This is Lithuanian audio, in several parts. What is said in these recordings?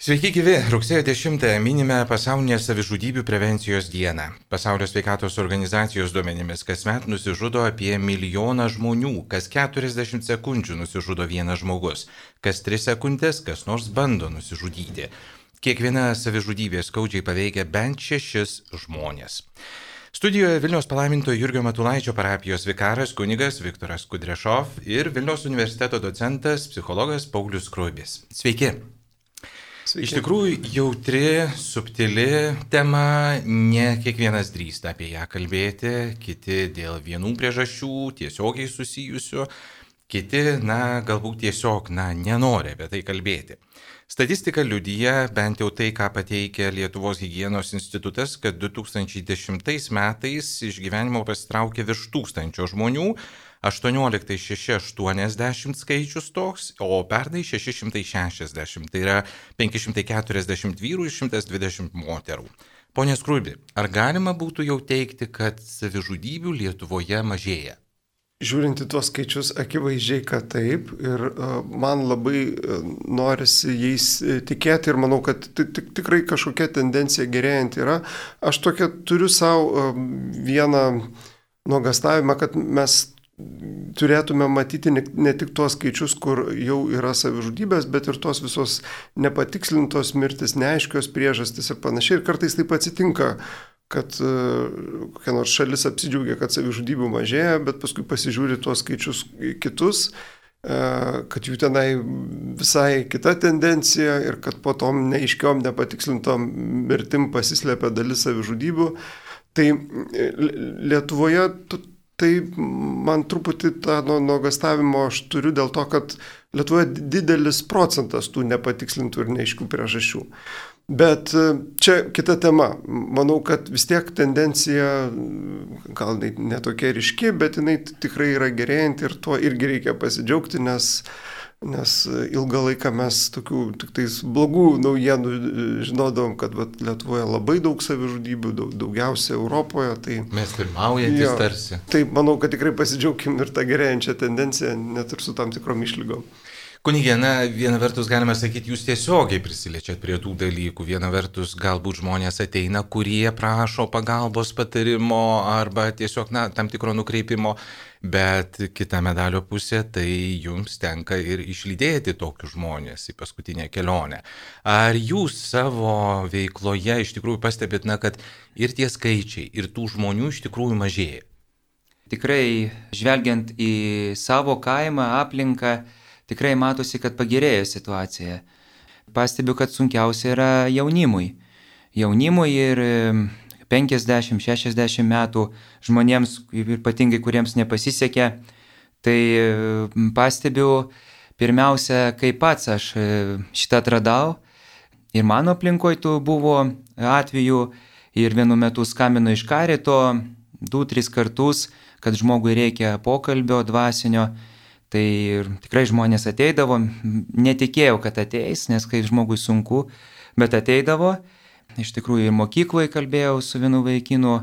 Sveiki gyvi, rugsėjo 10 minime pasaulinę savižudybių prevencijos dieną. Pasaulio sveikatos organizacijos duomenimis kasmet nusižudo apie 1 milijoną žmonių, kas 40 sekundžių nusižudo vienas žmogus, kas 3 sekundės kas nors bando nusižudyti. Kiekviena savižudybė skaudžiai paveikia bent 6 žmonės. Studijoje Vilniaus palaimintojo Jurgio Matulaičio parapijos vikaras kunigas Viktoras Kudrešov ir Vilniaus universiteto docentas psichologas Paulius Skruibis. Sveiki! Sveiki. Iš tikrųjų jautri, subtili tema, ne kiekvienas drįsta apie ją kalbėti, kiti dėl vienų priežasčių tiesiogiai susijusių, kiti, galbūt tiesiog, nenori apie tai kalbėti. Statistika liudija, bent jau tai, ką pateikia Lietuvos higienos institutas, kad 2010 metais iš gyvenimo pasitraukė virš 1000 žmonių, 18 680 skaičius toks, o pernai 660, tai yra 540 vyrų ir 120 moterų. Pone Skruibi, ar galima būtų jau teikti, kad savižudybių Lietuvoje mažėja? Žiūrint į tuos skaičius, akivaizdžiai, kad taip, ir man labai norisi jais tikėti ir manau, kad tikrai kažkokia tendencija gerėjant yra. Aš tokia turiu savo vieną nuogąstavimą, kad mes turėtume matyti ne tik tuos skaičius, kur jau yra savižudybės, bet ir tos visos nepatikslintos mirtis, neaiškios priežastys ir panašiai. Ir kartais taip atsitinka, kad kokia nors šalis apsidžiaugia, kad savižudybių mažėja, bet paskui pasižiūri tuos skaičius kitus, kad jų tenai visai kita tendencija ir kad po tom neaiškiom, nepatikslintom mirtim pasislėpia dalis savižudybių. Tai Lietuvoje tai man truputį tą nuogąstavimo aš turiu dėl to, kad Lietuvoje didelis procentas tų nepatikslintų ir neaiškių priežasčių. Bet čia kita tema. Manau, kad vis tiek tendencija gal netokia ryški, bet jinai tikrai yra gerėjanti ir tuo irgi reikia pasidžiaugti, nes ilgą laiką mes tokių tik tais blogų naujienų žinodom, kad Lietuvoje labai daug savižudybių, daugiausia Europoje. Tai, mes pirmaujantis tarsi. Tai manau, kad tikrai pasidžiaugim ir tą gerėjančią tendenciją, net ir su tam tikrom išlygom. Kunigė, viena vertus galime sakyti, jūs tiesiogiai prisiliečiat prie tų dalykų. Viena vertus galbūt žmonės ateina, kurie prašo pagalbos, patarimo arba tiesiog tam tikro nukreipimo, bet kita medalio pusė, tai jums tenka ir išlydėti tokius žmonės į paskutinę kelionę. Ar jūs savo veikloje iš tikrųjų pastebit, kad ir tie skaičiai, ir tų žmonių iš tikrųjų mažėja? Tikrai, žvelgiant į savo kaimą, aplinką, tikrai matosi, kad pagerėjo situacija. Pastebiu, kad sunkiausia yra jaunimui. Jaunimui ir 50-60 metų žmonėms, ypatingai kuriems nepasisekė, tai pastebiu pirmiausia, kaip pats aš šitą atradau. Ir mano aplinkoje tų buvo atvejų ir vienu metu skambino iš karito 2-3 kartus, kad žmogui reikia pokalbio dvasinio. Tai tikrai žmonės ateidavo, netikėjau, kad ateis, nes kai žmogui sunku, bet ateidavo. Iš tikrųjų ir mokykloje kalbėjau su vienu vaikinu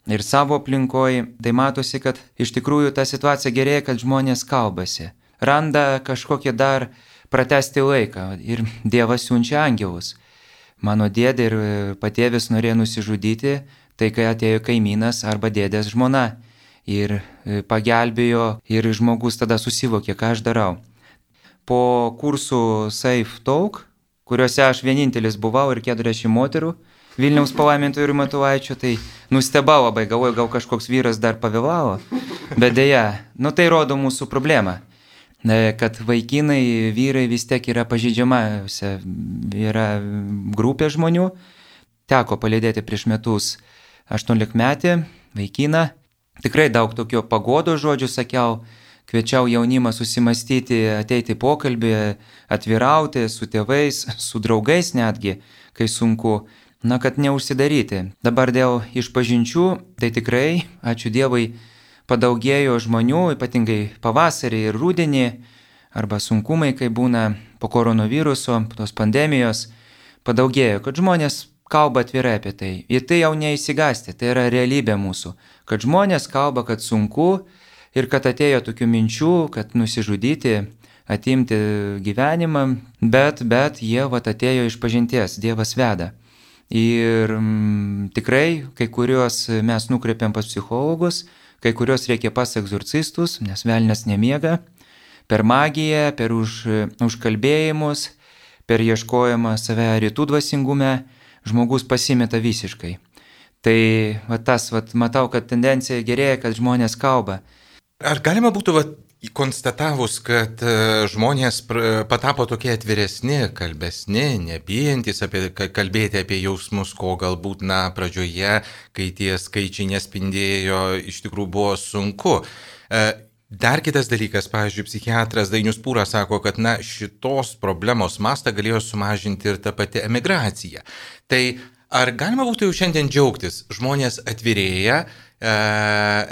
ir savo aplinkoje. Tai matosi, kad iš tikrųjų ta situacija gerėja, kad žmonės kalbasi. Randa kažkokią dar pratęsti laiką ir Dievas siunčia angelus. Mano dėdė ir patėvis norėjo nusižudyti, tai kai atėjo kaimynas arba dėdės žmona. Ir pagelbėjo ir žmogus tada susivokė, ką aš darau. Po kursų Safe Talk, kuriuose aš vienintelis buvau ir 40 moterų Vilniaus palaimintojo Jurgio Matulaičio, tai nustebau labai, galvoju, gal kažkoks vyras dar pavėlavo. Bet deja, tai rodo mūsų problemą, kad vaikinai, vyrai vis tiek yra pažeidžiamiausia, yra grupė žmonių. Teko palydėti prieš metus 18-metį vaikiną. Tikrai daug tokio pagodo žodžių sakiau, kviečiau jaunimą susimastyti, ateiti į pokalbį, atvirauti su tėvais, su draugais netgi, kai sunku, kad neužsidaryti. Dabar dėl išpažinčių, tai tikrai, ačiū Dievui, padaugėjo žmonių, ypatingai pavasarį ir rudenį, arba sunkumai, kai būna po koronaviruso, tos pandemijos, padaugėjo, kad žmonės kalba atvirai apie tai. Ir tai jau neįsigąsti, tai yra realybė mūsų. Kad žmonės kalba, kad sunku ir kad atėjo tokių minčių, kad nusižudyti, atimti gyvenimą, bet jie atėjo iš pažinties, Dievas veda. Ir tikrai kai kuriuos mes nukreipiam pas psichologus, kai kuriuos reikia pas egzorcistus, nes velnias nemiega, per magiją, per užkalbėjimus, per ieškojimą save rytų dvasingume, žmogus pasimeta visiškai. Tai matau, kad tendencija gerėja, kad žmonės kalba. Ar galima būtų konstatavus, kad žmonės patapo tokie atviresni, kalbesni, nebijantis kalbėti apie jausmus, ko galbūt pradžioje, kai tie skaičiai nespindėjo, iš tikrųjų buvo sunku. Dar kitas dalykas, pavyzdžiui, psichiatras Dainius Pūras sako, kad šitos problemos mastą galėjo sumažinti ir ta pati emigracija. Tai ar galima būtų jau šiandien džiaugtis, žmonės atvirėja,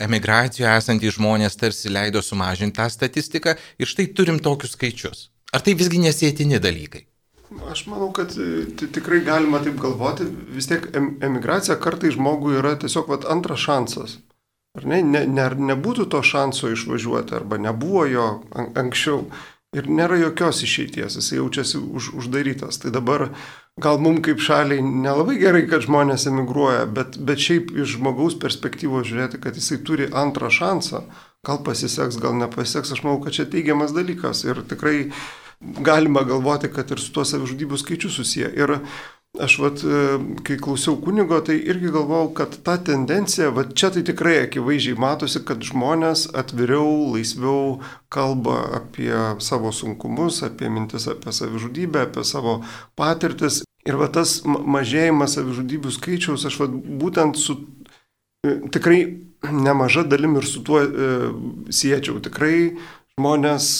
emigracijoje esantys žmonės tarsi leido sumažinti tą statistiką ir štai turim tokius skaičius. Ar tai visgi nesėtini dalykai? Aš manau, kad tikrai galima taip galvoti. Vis tiek emigracija kartai žmogui yra tiesiog antras šansas. Ar ne? Nebūtų to šanso išvažiuoti arba nebuvo jo anksčiau ir nėra jokios išeities, jis jaučiasi uždarytas. Tai dabar gal mums kaip šaliai nelabai gerai, kad žmonės emigruoja, bet šiaip iš žmogaus perspektyvos žiūrėti, kad jisai turi antrą šansą, gal pasiseks, gal nepasiseks, aš manau, kad čia teigiamas dalykas ir tikrai galima galvoti, kad ir su tuo savižudybių skaičiu susiję. Ir aš kai klausiau kunigo, tai irgi galvojau, kad ta tendencija, čia tai tikrai akivaizdžiai matosi, kad žmonės atviriau, laisviau kalba apie savo sunkumus, apie mintis apie savižudybę, apie savo patirtis. Ir tas mažėjimas savižudybių skaičiaus, aš būtent su tikrai nemaža dalim ir su tuo siečiau. Tikrai žmonės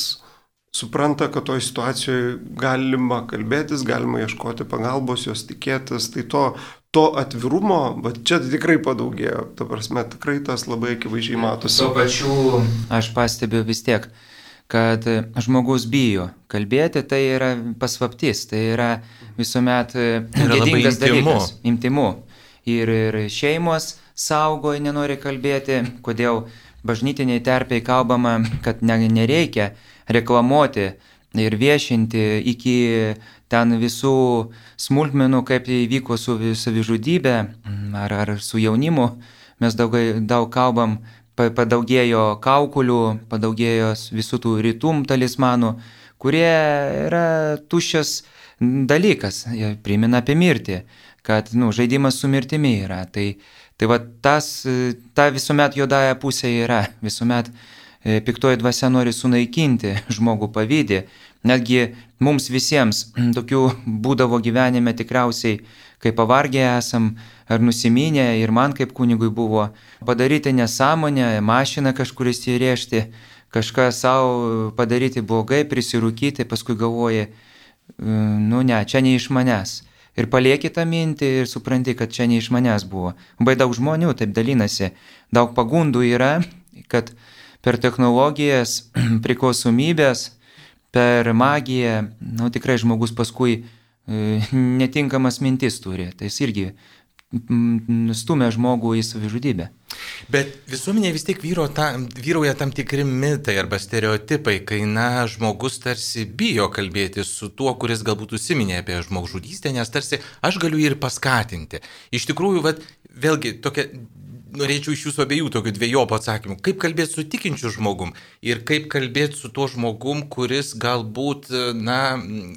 supranta, kad toj situacijoje galima kalbėtis, galima ieškoti pagalbos, jos tikėtis, tai to atvirumo, čia tikrai padaugėjo, ta prasme, tikrai tas labai akivaizdžiai matosi. Tuo pačiu aš pastebiu vis tiek, kad žmogus bijo kalbėti, tai yra paslaptis, tai yra visuomet gėdingas dalykas, intymu. Ir šeimos saugo, nenori kalbėti, kodėl bažnytiniai terpiai kalbama, kad nereikia reklamuoti ir viešinti iki ten visų smulkmenų, kaip įvyko su savižudybė ar su jaunimu. Mes daug kalbam, padaugėjo kaukulių, padaugėjo visų tų rytum talismanų, kurie yra tuščias dalykas, jie primena apie mirtį, kad žaidimas su mirtimi yra. Tai ta visuomet juodąja pusė yra, visuomet piktoji dvasia nori sunaikinti žmogų pavydį. Netgi mums visiems tokių būdavo gyvenime tikriausiai, kai pavargę esam ar nusiminę, ir man kaip kunigui buvo padaryti nesąmonę, mašiną kažkur įsirėžti, kažką savo padaryti blogai, prisirūkyti, paskui galvoji, čia ne iš manęs. Ir palieki tą mintį ir supranti, kad čia ne iš manęs buvo. Labai daug žmonių taip dalinasi, daug pagundų yra, kad per technologijas, priklausomybės, per magiją, tikrai žmogus paskui netinkamas mintis turi. Tai jis irgi stumia žmogų į savižudybę. Bet visuomenėje vis tiek vyrauja tam tikri mitai arba stereotipai, kai žmogus tarsi bijo kalbėti su tuo, kuris galbūt užsiminė apie žmogžudystę, nes tarsi aš galiu jį ir paskatinti. Iš tikrųjų, vėlgi, norėčiau iš jūsų abiejų tokių dviejopų atsakymų. Kaip kalbėti su tikinčiu žmogum ir kaip kalbėti su tuo žmogum, kuris galbūt,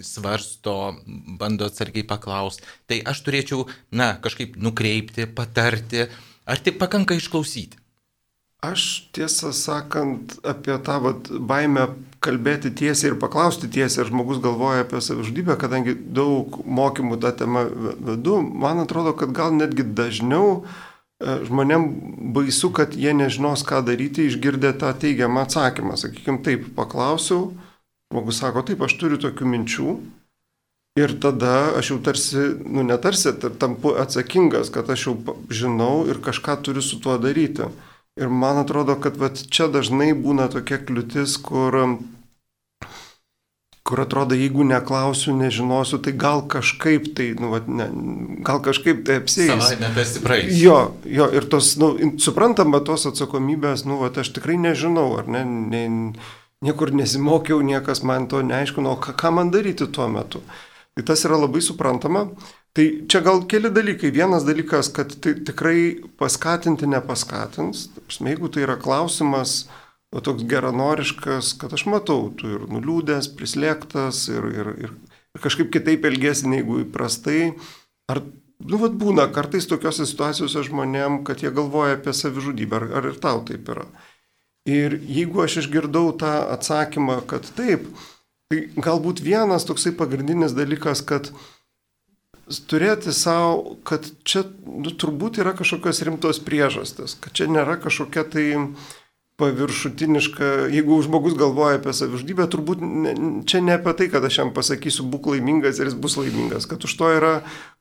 svarsto, bando atsargiai paklausti. Tai aš turėčiau, kažkaip nukreipti, patarti, ar tik pakanka išklausyti? Aš tiesą sakant apie tą baimę kalbėti tiesiai ir paklausti tiesiai, ar žmogus galvoja apie savižudybę, kadangi daug mokymų tą temą vedu, man atrodo, kad gal netgi dažniau žmonėm baisu, kad jie nežinos, ką daryti, išgirdę tą teigiamą atsakymą. Sakykime, taip, paklausiau, žmogus sako, taip, aš turiu tokių minčių ir tada aš jau tarsi, tampu atsakingas, kad aš jau žinau ir kažką turiu su tuo daryti. Ir man atrodo, kad čia dažnai būna tokia kliūtis, kur atrodo, jeigu neklausiu, nežinosiu, tai gal kažkaip tai, gal kažkaip tai apsieis. Savaime tas praeis. Jo, ir tos, suprantama, tos atsakomybės, aš tikrai nežinau, ar ne, niekur nesimokiau, niekas man to neaiškino, ką man daryti tuo metu. Tai tas yra labai suprantama. Tai čia gal keli dalykai. Vienas dalykas, kad tai tikrai paskatinti nepaskatins. Jeigu tai yra klausimas, o toks geranoriškas, kad aš matau, tu ir nuliūdęs, prislėgtas ir kažkaip kitaip elgesi negu įprastai. Ar, būna kartais tokiose situacijose žmonėm, kad jie galvoja apie savižudybę, ar ir tau taip yra. Ir jeigu aš išgirdau tą atsakymą, kad taip, tai galbūt vienas toksai pagrindinis dalykas, kad turėti savo, kad čia turbūt yra kažkokios rimtos priežastis, kad čia nėra kažkokia tai paviršutiniška, jeigu žmogus galvoja apie savižudybę, turbūt čia ne apie tai, kad aš jam pasakysiu būk laimingas ir jis bus laimingas, kad už to yra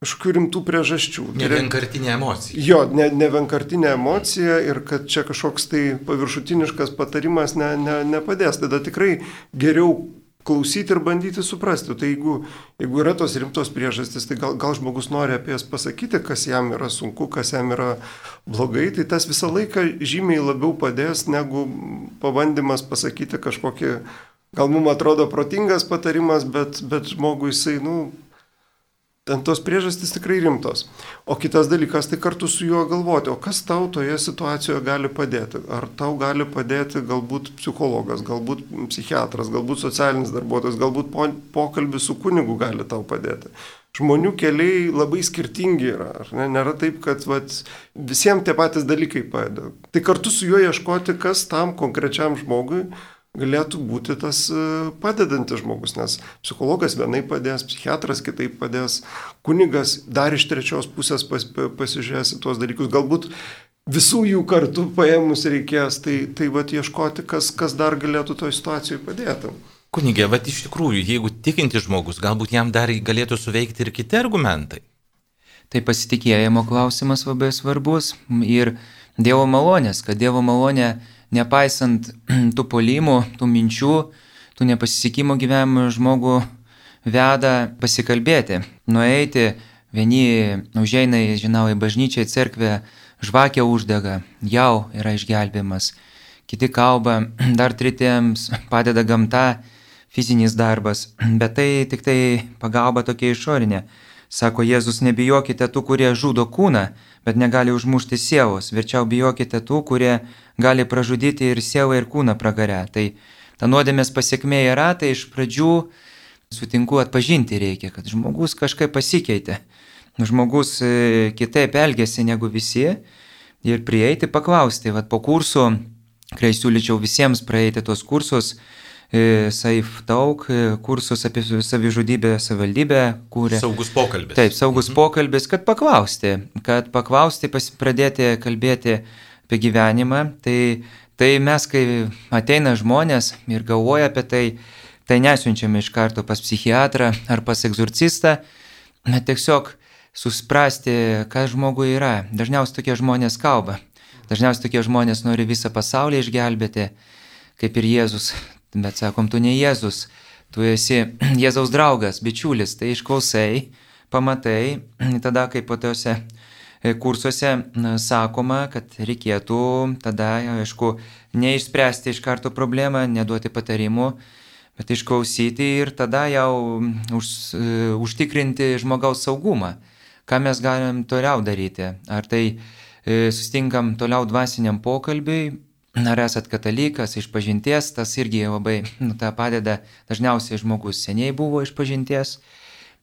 kažkokių rimtų priežasčių. Ne vienkartinė emocija. Jo, ne vienkartinė emocija ir kad čia kažkoks tai paviršutiniškas patarimas nepadės. Tada tikrai geriau klausyti ir bandyti suprasti. Tai jeigu yra tos rimtos priežastys, tai gal žmogus nori apie jas pasakyti, kas jam yra sunku, kas jam yra blogai, tai tas visą laiką žymiai labiau padės, negu pabandymas pasakyti kažkokį, gal mums atrodo protingas patarimas, bet žmogui jisai, ten tos priežastys tikrai rimtos. O kitas dalykas, tai kartu su juo galvoti, o kas tau toje situacijoje gali padėti? Ar tau gali padėti galbūt psichologas, galbūt psichiatras, galbūt socialinis darbuotojas, galbūt pokalbis su kunigu gali tau padėti. Žmonių keliai labai skirtingi yra, ar ne? Nėra taip, kad visiems tie patys dalykai padeda. Tai kartu su juo ieškoti, kas tam konkrečiam žmogui galėtų būti tas padedantis žmogus, nes psichologas vienai padės, psichiatras kitaip padės, kunigas dar iš trečios pusės pasižiūrės į tuos dalykus, galbūt visų jų kartu paėmus reikės, tai ieškoti, kas dar galėtų toje situacijoje padėti. Kunigė, iš tikrųjų, jeigu tikintis žmogus, galbūt jam dar galėtų suveikti ir kiti argumentai. Tai pasitikėjimo klausimas labai svarbus ir Dievo malonės, kad Dievo malonė nepaisant tų puolimų, tų minčių, tų nepasisekimo gyvenimo žmogų veda pasikalbėti, nueiti, vieni užeina į bažnyčią, į cerkvę, žvakę uždega, jau yra išgelbėjimas, kiti kalba, dar tretiems padeda gamta, fizinis darbas, bet tai tik tai pagalba tokia išorinė. Sako Jėzus, nebijokite tų, kurie žudo kūną, bet negali užmušti sielos, verčiau bijokite tų, kurie gali pražudyti ir sielą, ir kūną pragare. Tai ta nuodėmės pasiekmė yra, tai iš pradžių sutinku atpažinti reikia, kad žmogus kažkaip pasikeitė, žmogus kitaip elgėsi negu visi ir prieiti paklausti. Po kursų, kai siūlyčiau visiems praeiti tos kursus, Safe Talk, kursus apie savižudybę savivaldybę kūrė. Saugus pokalbis. Taip, saugus pokalbis, kad paklausti, pradėti kalbėti apie gyvenimą. Tai mes, kai ateina žmonės ir galvoja apie tai nesiunčiame iš karto pas psichiatrą ar pas egzorcistą, tiesiog suprasti, kas žmogui yra. Dažniausiai tokie žmonės kalba. Dažniausiai tokie žmonės nori visą pasaulį išgelbėti, kaip ir Jėzus. Bet sakom, tu ne Jėzus, tu esi Jėzaus draugas, bičiulis, tai išklausai, pamatai, tada kaip po tose kursuose sakoma, kad reikėtų tada, aišku, neišspręsti iš karto problemą, neduoti patarimų, bet išklausyti ir tada jau užtikrinti žmogaus saugumą. Ką mes galim toliau daryti? Ar tai sustinkam toliau dvasiniam pokalbiui? Ar esat katalikas, išpažinties, tas irgi labai tą padeda. Dažniausiai žmogus seniai buvo išpažinties.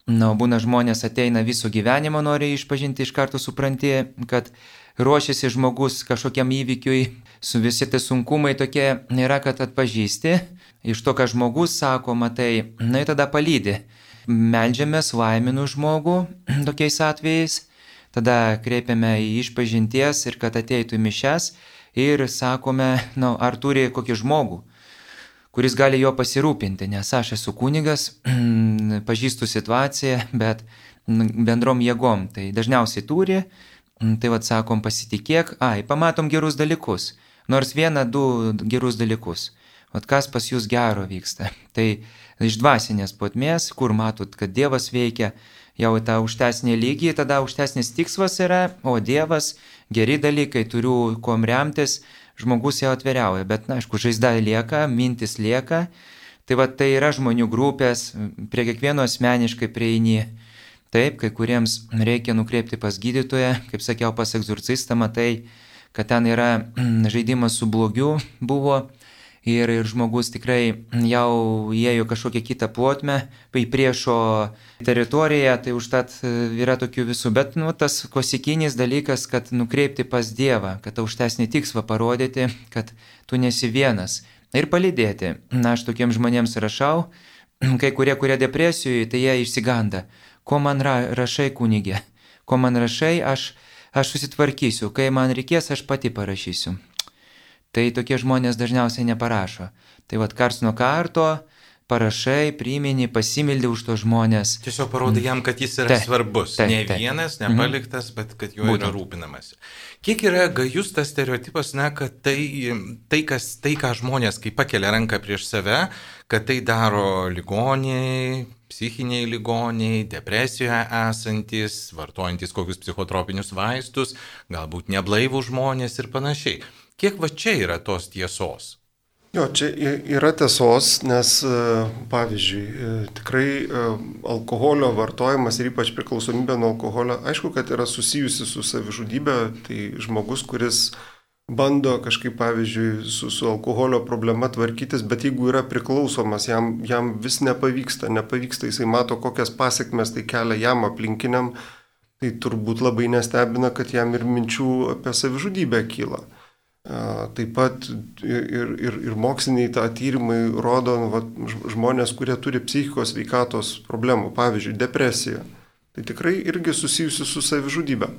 Būna žmonės ateina viso gyvenimo, nori išpažinti, iš karto supranti, kad ruošiasi žmogus kažkokiam įvykiui, su visi tai sunkumai tokie yra, kad atpažįsti. Iš to, ką žmogus sako, matai, ir tada palydi. Meldžiamės, laiminu žmogų tokiais atvejais, tada kreipiame į išpažinties ir kad ateitų į mišias. Ir sakome, ar turi kokį žmogų, kuris gali jo pasirūpinti, nes aš esu kunigas, pažįstu situaciją, bet bendrom jėgom. Tai dažniausiai turi, tai sakom, pasitikėk, pamatom gerus dalykus, nors 1-2 gerus dalykus. Kas pas jūs gero vyksta. Tai iš dvasinės plotmės, kur matot, kad Dievas veikia, jau tą aukštesnį lygį, tada aukštesnis tikslas yra, o Dievas, geri dalykai, turiu kuom remtis, žmogus jau atveriauja, bet, na, aišku, žaizda lieka, mintis lieka. Tai va, tai yra žmonių grupės, prie kiekvieno asmeniškai prieini. Taip, kai kuriems reikia nukreipti pas gydytoją, kaip sakiau, pas egzorcistą, matai, kad ten yra žaidimas su blogiu buvo ir žmogus tikrai jau įėjo kažkokią kitą plotmę, į priešo teritoriją, tai užtat yra tokių visų. Bet tas klasikinis dalykas, kad nukreipti pas Dievą, kad aukštesnį tikslą parodyti, kad tu nesi vienas. Ir palydėti. Na, aš tokiems žmonėms rašau, kai kurie depresijoje, tai jie išsiganda. Ko man rašai, kunigė? Ko man rašai, aš susitvarkysiu. Kai man reikės, aš pati parašysiu. Tai tokie žmonės dažniausiai neparašo. Tai vat kars nuo karto parašai, primini, pasimildi už tos žmonės. Tiesiog parodai jam, kad jis yra svarbus. Ne vienas, nepaliktas, bet kad juo yra rūpinamasi. Kiek yra gajus tas stereotipas, kad tai, ką žmonės, kai pakelia ranką prieš save, kad tai daro ligoniai, psichiniai ligoniai, depresijoje esantis, vartojantis kokius psichotropinius vaistus, galbūt neblaivų žmonės ir panašiai. Kiek va čia yra tos tiesos? Jo, čia yra tiesos, nes, pavyzdžiui, tikrai alkoholio vartojimas ir ypač priklausomybė nuo alkoholio, aišku, kad yra susijusi su savižudybė, tai žmogus, kuris bando kažkaip, pavyzdžiui, su alkoholio problema tvarkytis, bet jeigu yra priklausomas, jam vis nepavyksta, jisai mato, kokias pasiekmes tai kelia jam aplinkiniam, tai turbūt labai nestebina, kad jam ir minčių apie savižudybę kyla. Taip pat ir moksliniai tyrimai rodo žmonės, kurie turi psichikos sveikatos problemų, pavyzdžiui, depresija. Tai tikrai irgi susijusi su savižudybė.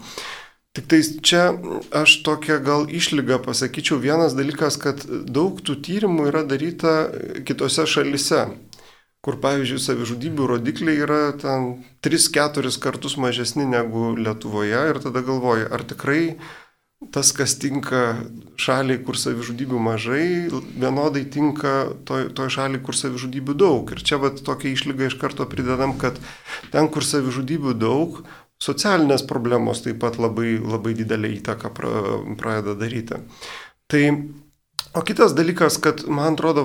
Tik tai čia aš tokią gal išlygą pasakyčiau. Vienas dalykas, kad daug tų tyrimų yra daryta kitose šalise, kur, pavyzdžiui, savižudybių rodikliai yra ten 3-4 kartus mažesni negu Lietuvoje ir tada galvoji, ar tikrai tas, kas tinka šaliai, kur savižudybių mažai, vienodai tinka toj šaliai, kur savižudybių daug. Ir čia tokia išlyga iš karto pridedam, kad ten, kur savižudybių daug, socialinės problemos taip pat labai, labai didelę įtaką pradeda daryti. Tai, o kitas dalykas, kad man atrodo,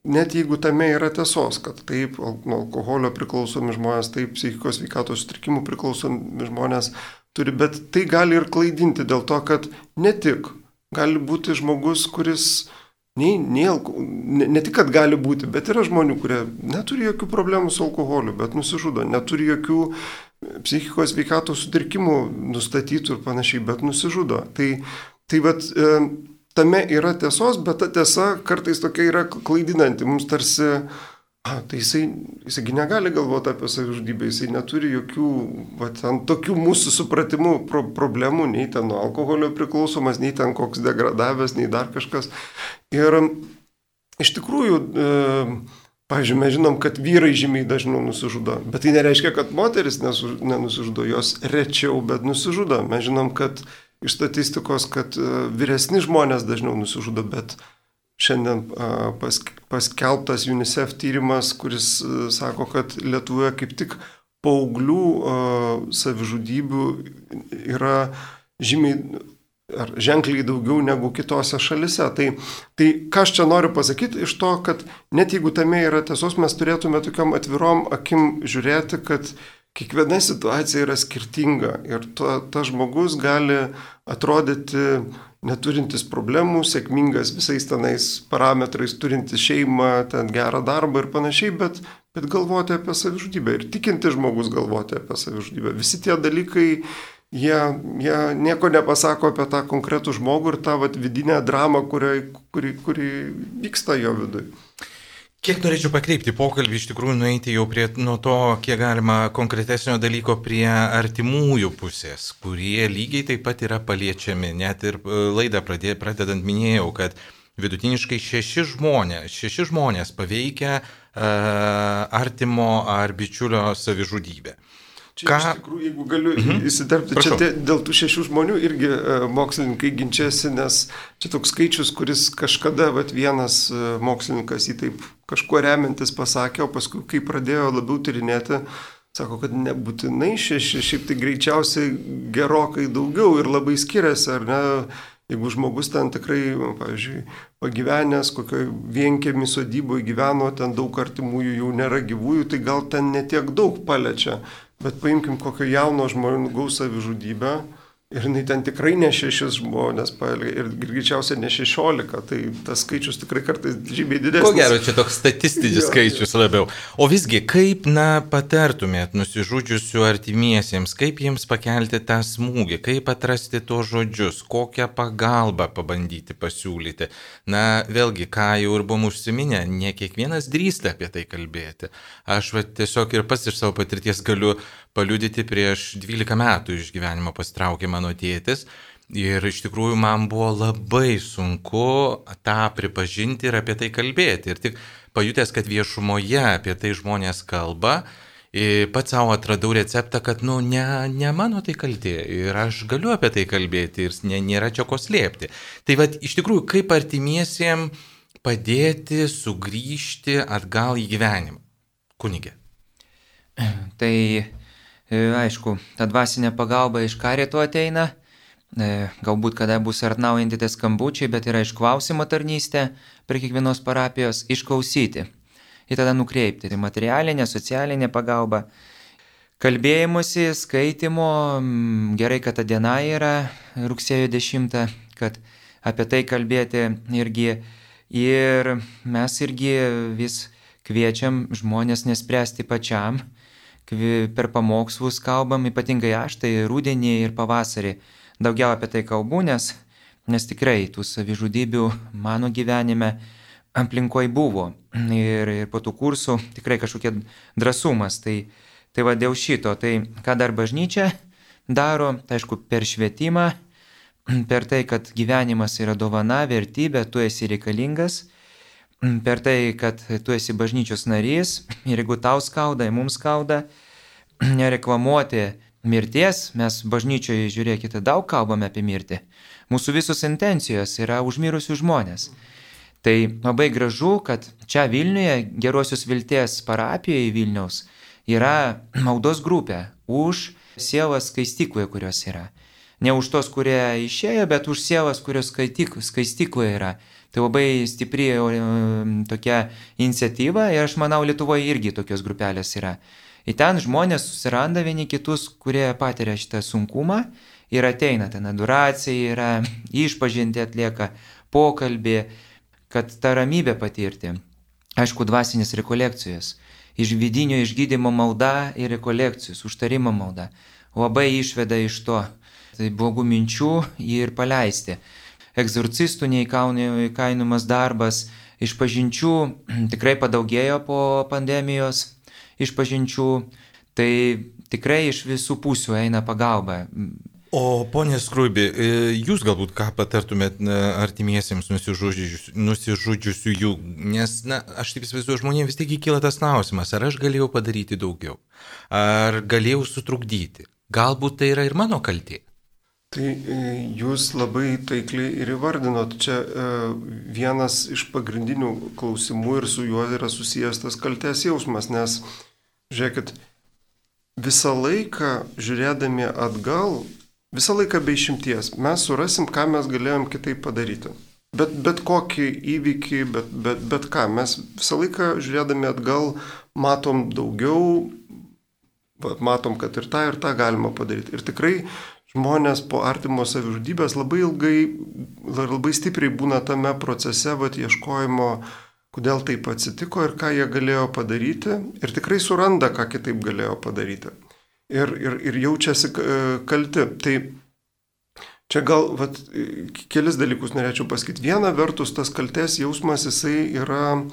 net jeigu tame yra tiesos, kad taip, nuo alkoholio priklausomi žmonės, taip, psichikos sveikatos sutrikimų priklausomi žmonės turi, bet tai gali ir klaidinti dėl to, kad ne tik gali būti žmogus, kuris ne tik, kad gali būti, bet yra žmonių, kurie neturi jokių problemų su alkoholiu, bet nusižudo, neturi jokių psichikos sveikatos sutrikimų nustatytų ir panašiai, bet nusižudo. Tai tame yra tiesos, bet ta tiesa kartais tokia yra klaidinanti. Mums tarsi, tai jisai negali galvoti apie savižudybę, jisai neturi jokių tokių mūsų supratimų problemų, nei ten nuo alkoholio priklausomas, nei ten koks degradavęs, nei dar kažkas. Ir iš tikrųjų, pavyzdžiui, mes žinom, kad vyrai žymiai dažniau nusižudo, bet tai nereiškia, kad moteris nenusižudo, jos rečiau, bet nusižudo. Mes žinom, kad iš statistikos, kad vyresni žmonės dažniau nusižudo, bet šiandien paskelbtas UNICEF tyrimas, kuris sako, kad Lietuvoje kaip tik paauglių savižudybių yra ženkliai daugiau negu kitose šalise. Tai ką aš čia noriu pasakyti iš to, kad net jeigu tame yra tiesos, mes turėtume tokiam atvirom akim žiūrėti, kad kiekviena situacija yra skirtinga ir tas žmogus gali atrodyti neturintis problemų, sėkmingas visais tenais parametrais, turintis šeimą, ten gerą darbą ir panašiai, bet galvoti apie savižudybę ir tikinti žmogus galvoti apie savižudybę. Visi tie dalykai, jie nieko nepasako apie tą konkretų žmogų ir tą vidinę dramą, kuri vyksta jo viduje. Kiek norėčiau pakreipti pokalbį, iš tikrųjų nueiti jau nuo to, kiek galima konkretesnio dalyko prie artimųjų pusės, kurie lygiai taip pat yra paliečiami. Net ir laidą pradedant minėjau, kad vidutiniškai 6 žmonės paveikia artimo ar bičiulio savižudybę. Čia iš tikrųjų, jeigu galiu įsiterpti, čia dėl tų 6 žmonių irgi mokslininkai ginčiasi, nes čia toks skaičius, kuris kažkada vienas mokslininkas jį taip kažkuo remiantis pasakė, o paskui, kai pradėjo labiau tyrinėti, sako, kad nebūtinai 6, šiaip tai greičiausiai gerokai daugiau ir labai skiriasi, ar ne? Jeigu žmogus ten tikrai, pavyzdžiui, pagyvenęs, kokioje vienkiemi sodyboje gyveno, ten daug artimųjų jau nėra gyvųjų, tai gal ten netiek daug paliečia. Bet paimkim kokio jauno žmogaus savižudybę ir jinai ten tikrai ne 6 žmonės paėlė ir greičiausiai ne 16, tai tas skaičius tikrai kartais žymiai didesnis. Ko gero, čia toks statistinis skaičius labiau. O visgi, kaip, patartumėt nusižudžiusių artimiesiems, kaip jiems pakelti tą smūgį, kaip atrasti tos žodžius, kokią pagalbą pabandyti pasiūlyti. Vėlgi, ką jau ir buvom užsiminę, ne kiekvienas drįsta apie tai kalbėti. Aš tiesiog ir pats iš savo patirties galiu paliudyti, prieš 12 metų iš gyvenimo pasitraukė mano tėtis ir iš tikrųjų man buvo labai sunku tą pripažinti ir apie tai kalbėti. Ir tik pajutęs, kad viešumoje apie tai žmonės kalba, pats savo atradau receptą, kad ne mano tai kaltė ir aš galiu apie tai kalbėti ir nėra čia ko slėpti. Tai iš tikrųjų, kaip artimiesiem padėti sugrįžti atgal į gyvenimą? Kunige. Tai aišku, ta dvasinė pagalba iš karito ateina, galbūt kada bus atnaujinti tie skambučiai, bet yra išklausimo tarnystė prie kiekvienos parapijos, išklausyti ir tada nukreipti. Tai materialinė, socialinė pagalba, kalbėjimusi, skaitimo, gerai, kad ta diena yra rugsėjo 10, kad apie tai kalbėti irgi. Ir mes irgi vis kviečiam žmonės nespręsti pačiam. Per pamokslus kalbam, ypatingai aš, tai rudenį ir pavasarį daugiau apie tai kalbu, nes tikrai tų savižudybių mano gyvenime aplinkoje buvo. Ir po tų kursų tikrai kažkokia drąsumas. Tai dėl šito, tai ką dar bažnyčia daro, tai aišku, per švietimą, per tai, kad gyvenimas yra dovana, vertybė, tu esi reikalingas, per tai, kad tu esi bažnyčios narys ir jeigu tau skauda, mums skauda, nereklamuoti mirties, mes bažnyčioje, žiūrėkite, daug kalbame apie mirtį. Mūsų visos intencijos yra už mirusius žmonės. Tai labai gražu, kad čia Vilniuje, Gerosios Vilties parapijoje Vilniaus, yra maldos grupė už sielas skaistykloje, kurios yra. Ne už tos, kurie išėjo, bet už sielas, kurios skaistykloje yra. Tai labai stipri tokia iniciatyva ir aš manau, Lietuvoje irgi tokios grupelės yra. Ir ten žmonės susiranda vieni kitus, kurie patiria šitą sunkumą ir ateina, ten adoracija yra, išpažinti atlieka, pokalbį, kad tą ramybę patirti. Aišku, dvasinės rekolekcijos, iš vidinio išgydymo malda ir rekolekcijos, užtarimo malda. Labai išveda iš to blogų minčių ir paleisti. Egzorcistų neįkainojamas darbas, išpažinčių tikrai padaugėjo po pandemijos išpažinčių, tai tikrai iš visų pusių eina pagalba. O ponė Skruibi, jūs galbūt ką patartumėt artimiesiems nusižudžiusių jų, nes aš taip įsivaizduoju, žmonėms vis tiek kyla tas klausimas, ar aš galėjau padaryti daugiau, ar galėjau sutrukdyti, galbūt tai yra ir mano kaltė. Tai jūs labai taikliai ir įvardinot, čia vienas iš pagrindinių klausimų ir su juo yra susijęs tas kaltės jausmas, nes, žiūrėkit, visą laiką žiūrėdami atgal, visą laiką be išimties, mes surasim, ką mes galėjom kitaip padaryti. Bet kokį įvykį, bet ką, mes visą laiką žiūrėdami atgal matom daugiau, matom, kad ir tą galima padaryti. Ir tikrai žmonės po artimo savižudybės labai stipriai būna tame procese, ieškojimo, kodėl taip atsitiko ir ką jie galėjo padaryti. Ir tikrai suranda, ką kitaip galėjo padaryti. Ir jaučiasi kalti. Tai čia gal kelis dalykus norėčiau pasakyti. Viena vertus, tas kaltės jausmas, jisai yra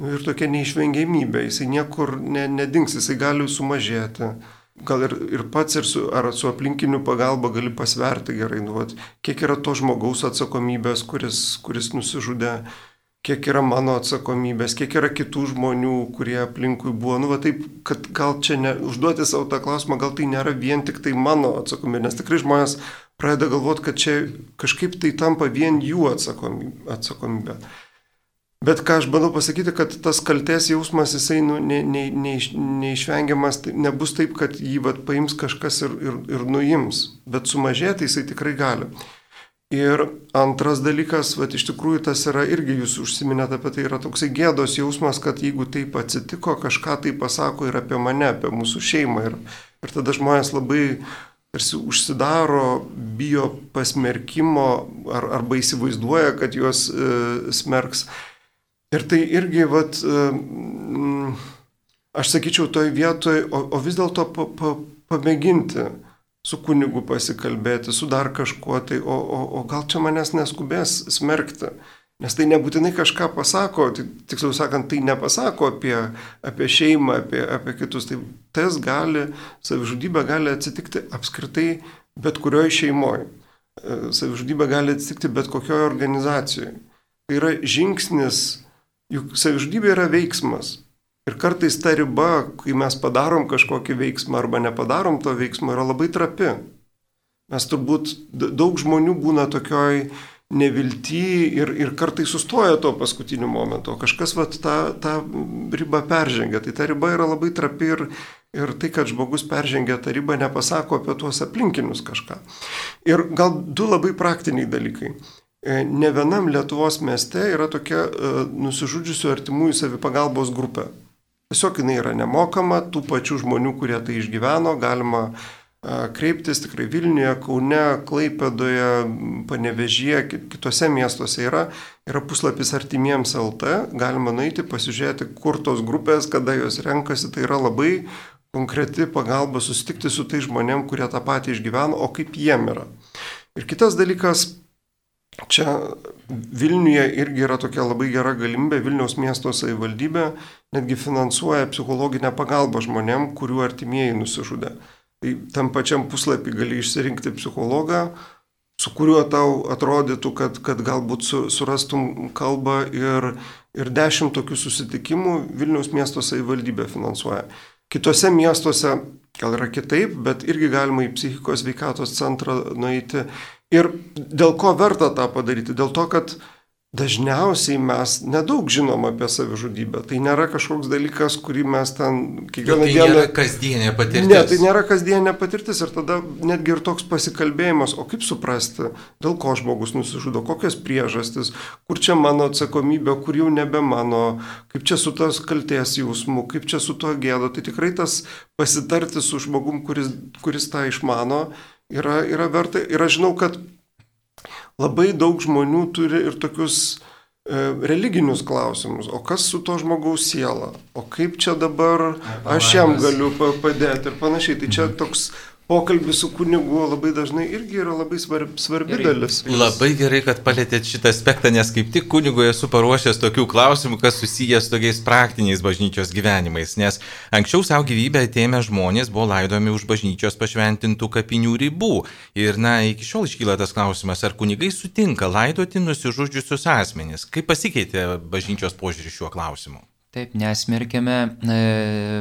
ir tokia neišvengiamybė. Jisai niekur nedings, jisai gali sumažėti. Gal ir pats, ar su aplinkiniu pagalba gali pasverti gerai, kiek yra to žmogaus atsakomybės, kuris nusižudė, kiek yra mano atsakomybės, kiek yra kitų žmonių, kurie aplinkui buvo. Taip, kad gal čia užduoti savo tą klausimą, gal tai nėra vien tik tai mano atsakomybė, nes tikrai žmonės pradeda galvoti, kad čia kažkaip tai tampa vien jų atsakomybė. Bet ką aš bandau pasakyti, kad tas kaltės jausmas, jisai neišvengiamas, nebus taip, kad jį paims kažkas ir nuims, bet sumažėti jisai tikrai gali. Ir antras dalykas, iš tikrųjų tas yra irgi, jūs užsiminėte apie tai, yra toksai gėdos jausmas, kad jeigu taip atsitiko, kažką tai pasako ir apie mane, apie mūsų šeimą. Ir tada žmonės labai tarsi užsidaro, bijo pasmerkimo arba įsivaizduoja, kad juos smerks. Ir tai irgi, aš sakyčiau, toj vietoj, o vis dėlto pamėginti su kunigu pasikalbėti, su dar kažkuo, tai o gal čia manęs neskubės smerkti, nes tai nebūtinai kažką pasako, tiksliau sakant, tai nepasako apie šeimą, apie kitus, tai tas savižudybė gali atsitikti apskritai bet kurioje šeimoje, savižudybė gali atsitikti bet kokioje organizacijoje. Tai yra žingsnis, juk savižudybė yra veiksmas. Ir kartais ta riba, kai mes padarom kažkokį veiksmą arba nepadarom to veiksmo, yra labai trapi. Mes turbūt daug žmonių būna tokioj nevilty ir kartais sustoja to paskutiniu momentu, o kažkas tą ribą peržengia. Tai ta riba yra labai trapi ir tai, kad žmogus peržengia tą ribą, nepasako apie tuos aplinkinius kažką. Ir gal du labai praktiniai dalykai. Ne vienam Lietuvos mieste yra tokia nusižudžiusių artimųjų savipagalbos grupė. Tiesiog jinai yra nemokama, tų pačių žmonių, kurie tai išgyveno, galima kreiptis tikrai Vilniuje, Kaune, Klaipėdoje, Panevėžyje, kitose miestuose yra puslapis artimiems LT, galima nueiti, pasižiūrėti, kur tos grupės, kada jos renkasi, tai yra labai konkreti pagalba susitikti su tai žmonėm, kurie tą patį išgyveno, o kaip jiem yra. Ir kitas dalykas, čia Vilniuje irgi yra tokia labai gera galimybė, Vilniaus miesto savivaldybė netgi finansuoja psichologinę pagalbą žmonėm, kurių artimieji nusižudė. Tai tam pačiam puslapį gali išsirinkti psichologą, su kuriuo tau atrodytų, kad galbūt surastum kalbą ir 10 tokių susitikimų Vilniaus miesto savivaldybė finansuoja. Kitose miestuose gal yra kitaip, bet irgi galima į psichikos sveikatos centrą nueiti. Ir dėl ko verta tą padaryti? Dėl to, kad dažniausiai mes nedaug žinom apie savižudybę. Tai nėra kažkoks dalykas, kurį mes ten kiekvieną dieną... Tai nėra kasdienė patirtis. Ne, tai nėra kasdienė patirtis ir tada netgi ir toks pasikalbėjimas, o kaip suprasti, dėl ko žmogus nusižudo, kokios priežastis, kur čia mano atsakomybė, kur jau nebe mano, kaip čia su tos kaltės jausmu, kaip čia su tuo gėdo. Tai tikrai tas pasitarti su žmogum, kuris tą išmano, yra verta. Ir aš žinau, kad labai daug žmonių turi ir tokius religinius klausimus. O kas su to žmogaus siela? O kaip čia dabar aš jam galiu padėti ir panašiai. Tai čia toks pokalbis su kunigu labai dažnai irgi yra labai svarbi dalis. Labai gerai, kad palėtėt šitą aspektą, nes kaip tik kunigui esu paruošęs tokių klausimų, kas susijęs su tokiais praktiniais bažnyčios gyvenimais, nes anksčiau savo gyvybę atėmę žmonės buvo laidomi už bažnyčios pašventintų kapinių ribų. Ir iki šiol iškyla tas klausimas, ar kunigai sutinka laidoti nusižudžiusius asmenis. Kaip pasikeitė bažnyčios požiūrį šiuo klausimu? Taip, nesmerkėme,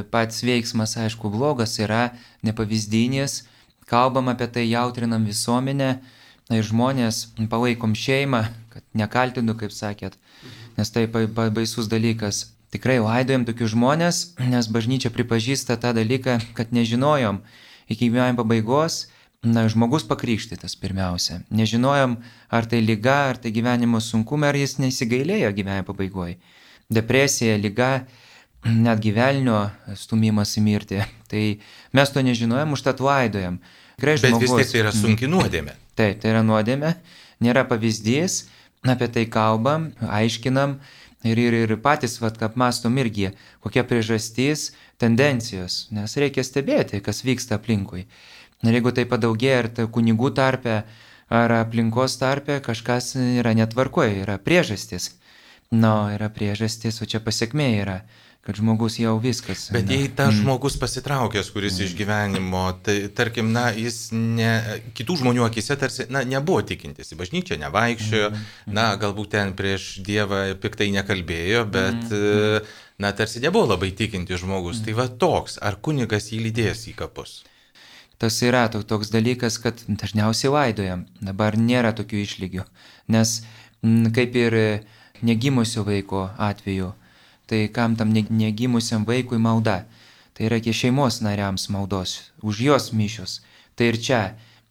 pats veiksmas, aišku, blogas yra, nepavyzdinis, kalbam apie tai, jautrinam visuomenę ir žmonės, palaikom šeimą, kad nekaltinu, kaip sakėt, nes tai baisus dalykas. Tikrai laidojam tokius žmonės, nes bažnyčia pripažįsta tą dalyką, kad nežinojom iki gyvenimo pabaigos, žmogus pakrikštytas pirmiausia. Nežinojom, ar tai liga, ar tai gyvenimo sunkumai, ar jis nesigailėjo gyvenimo pabaigoje. Depresija, liga, netgi velnio stumimas į mirtį. Tai mes to nežinojom, užtat laidojam. Bet vis tiek tai yra sunki nuodėmė. Taip, tai yra nuodėmė, nėra pavyzdys, apie tai kalbam, aiškinam ir patys apmąstom irgi, kokia priežastis, tendencijos, nes reikia stebėti, kas vyksta aplinkui. Ir jeigu tai padaugėja ar tai kunigų tarpe, ar aplinkos tarpe, kažkas yra netvarkoje, yra priežastis. Yra priežastis, o čia pasiekmė yra, kad žmogus jau viskas. Bet jei tas žmogus pasitraukęs, kuris iš gyvenimo, tai tarkim, jis kitų žmonių akise tarsi, nebuvo tikintis, į bažnyčią nevaikščiojo, galbūt ten prieš Dievą piktai nekalbėjo, bet, tarsi nebuvo labai tikintis žmogus. Tai toks, ar kunigas jį lydės į kapus? Tas yra toks dalykas, kad dažniausiai laidojam, dabar nėra tokių išlygių, nes kaip ir negimusio vaiko atveju. Tai kam tam negimusiam vaikui malda? Tai yra šeimos nariams maldos, už jos mišios. Tai ir čia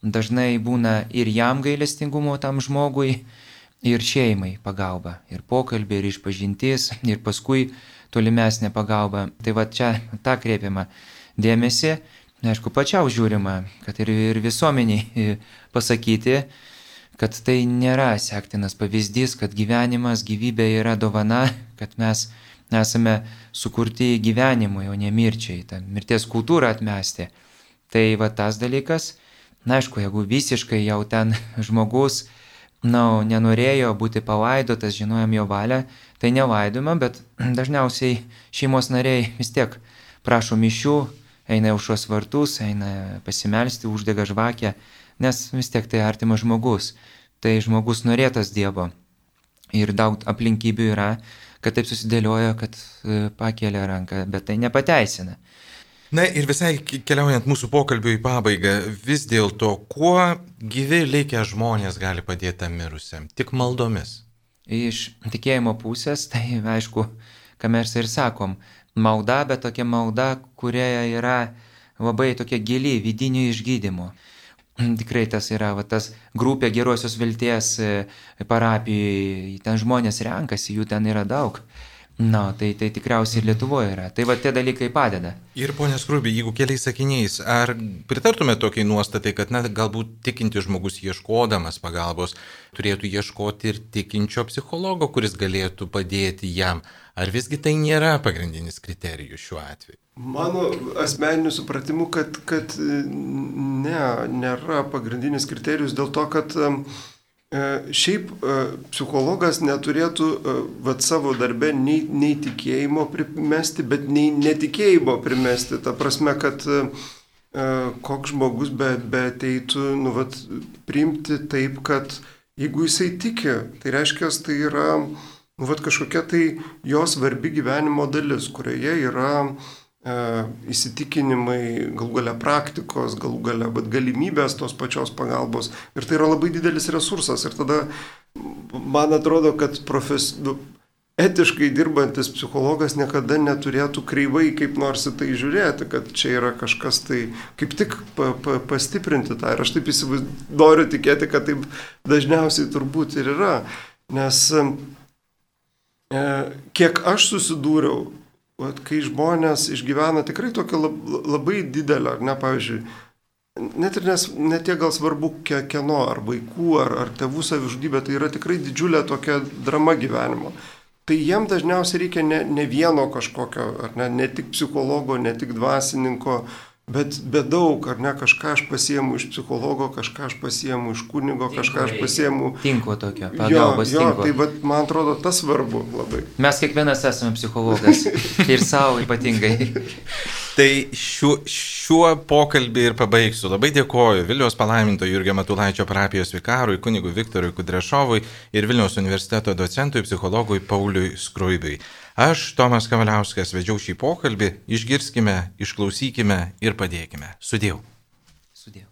dažnai būna ir jam gailestingumo tam žmogui, ir šeimai pagalba, ir pokalbė, ir išpažintis, ir paskui tolimesnė pagalba. Tai va čia tą kreipiama dėmesį, aišku, pačiau žiūrima, kad ir visuomeniai pasakyti, kad tai nėra sektinas pavyzdys, kad gyvenimas, gyvybė yra dovana, kad mes esame sukurti gyvenimui, o ne mirčiai, tą mirties kultūrą atmesti. Tai va tas dalykas, na aišku, jeigu visiškai jau ten žmogus, nenorėjo būti palaidotas, žinojom jo valią, tai nelaidojama, bet dažniausiai šeimos nariai vis tiek prašo mišių, eina aušros vartus, eina pasimelsti, uždega žvakę, nes vis tiek tai artimas žmogus, tai žmogus norėtas Dievo. Ir daug aplinkybių yra, kad taip susidėlioja, kad pakelia ranką, bet tai nepateisina. Na ir visai keliaujant mūsų pokalbių į pabaigą, vis dėlto, kuo gyvi likę žmonės gali padėti tam mirusiam? Tik maldomis. Iš tikėjimo pusės, tai aišku, ką mes ir sakom, malda, bet tokia malda, kurioje yra labai tokia gili vidinio išgydymo. Tikrai tas yra tas grupė Gerosios vilties parapijoje, ten žmonės renkasi, jų ten yra daug. Tai tikriausiai ir Lietuvoje yra. Tai va tie dalykai padeda. Ir ponia Skruibi, jeigu keliais sakiniais, ar pritartume tokiai nuostatai, kad galbūt tikintis žmogus ieškodamas pagalbos turėtų ieškoti ir tikinčio psichologo, kuris galėtų padėti jam? Ar visgi tai nėra pagrindinis kriterijus šiuo atveju? Mano asmeniniu supratimu, kad nėra pagrindinis kriterijus dėl to, kad šiaip psichologas neturėtų savo darbe nei tikėjimo primesti, bet nei netikėjimo primesti. Ta prasme, kad koks žmogus be ateitų priimti taip, kad jeigu jisai tiki, tai reiškia, tai yra kažkokia tai jo svarbi gyvenimo dalis, kurioje yra įsitikinimai, galų galia praktikos, galų galia galimybės tos pačios pagalbos. Ir tai yra labai didelis resursas. Ir tada man atrodo, kad etiškai dirbantis psichologas niekada neturėtų kreivai kaip nors į tai žiūrėti, kad čia yra kažkas tai kaip tik pastiprinti tą. Ir aš taip noriu tikėti, kad taip dažniausiai turbūt ir yra. Nes kiek aš susidūriau, kai žmonės išgyvena tikrai tokią labai didelę, pavyzdžiui, net ir ne tiek gal svarbu kieno, ar vaikų, ar tėvų savižudybė, tai yra tikrai didžiulė tokia drama gyvenimo. Tai jiem dažniausiai reikia ne vieno kažkokio, ne tik psichologo, ne tik dvasininko, bet daug, kažką aš pasiemu iš psichologo, kažką aš pasiemu iš kunigo, kažką aš pasiemu... Tinklo tokio, pagalbos tinklo. Tai man atrodo, tas svarbu labai. Mes kiekvienas esame psichologas ir savo ypatingai. Tai šiuo pokalbį ir pabaigsiu. Labai dėkoju Vilniaus palaiminto Jurgio Matulaičio parapijos vikarui, kunigui Viktorui Kudrešovui ir Vilniaus universiteto docentui psichologui Pauliui Skruibiui. Aš, Tomas Kavaliauskas, vedžiau šį pokalbį, išgirskime, išklausykime ir padėkime. Sudiev. Sudiev.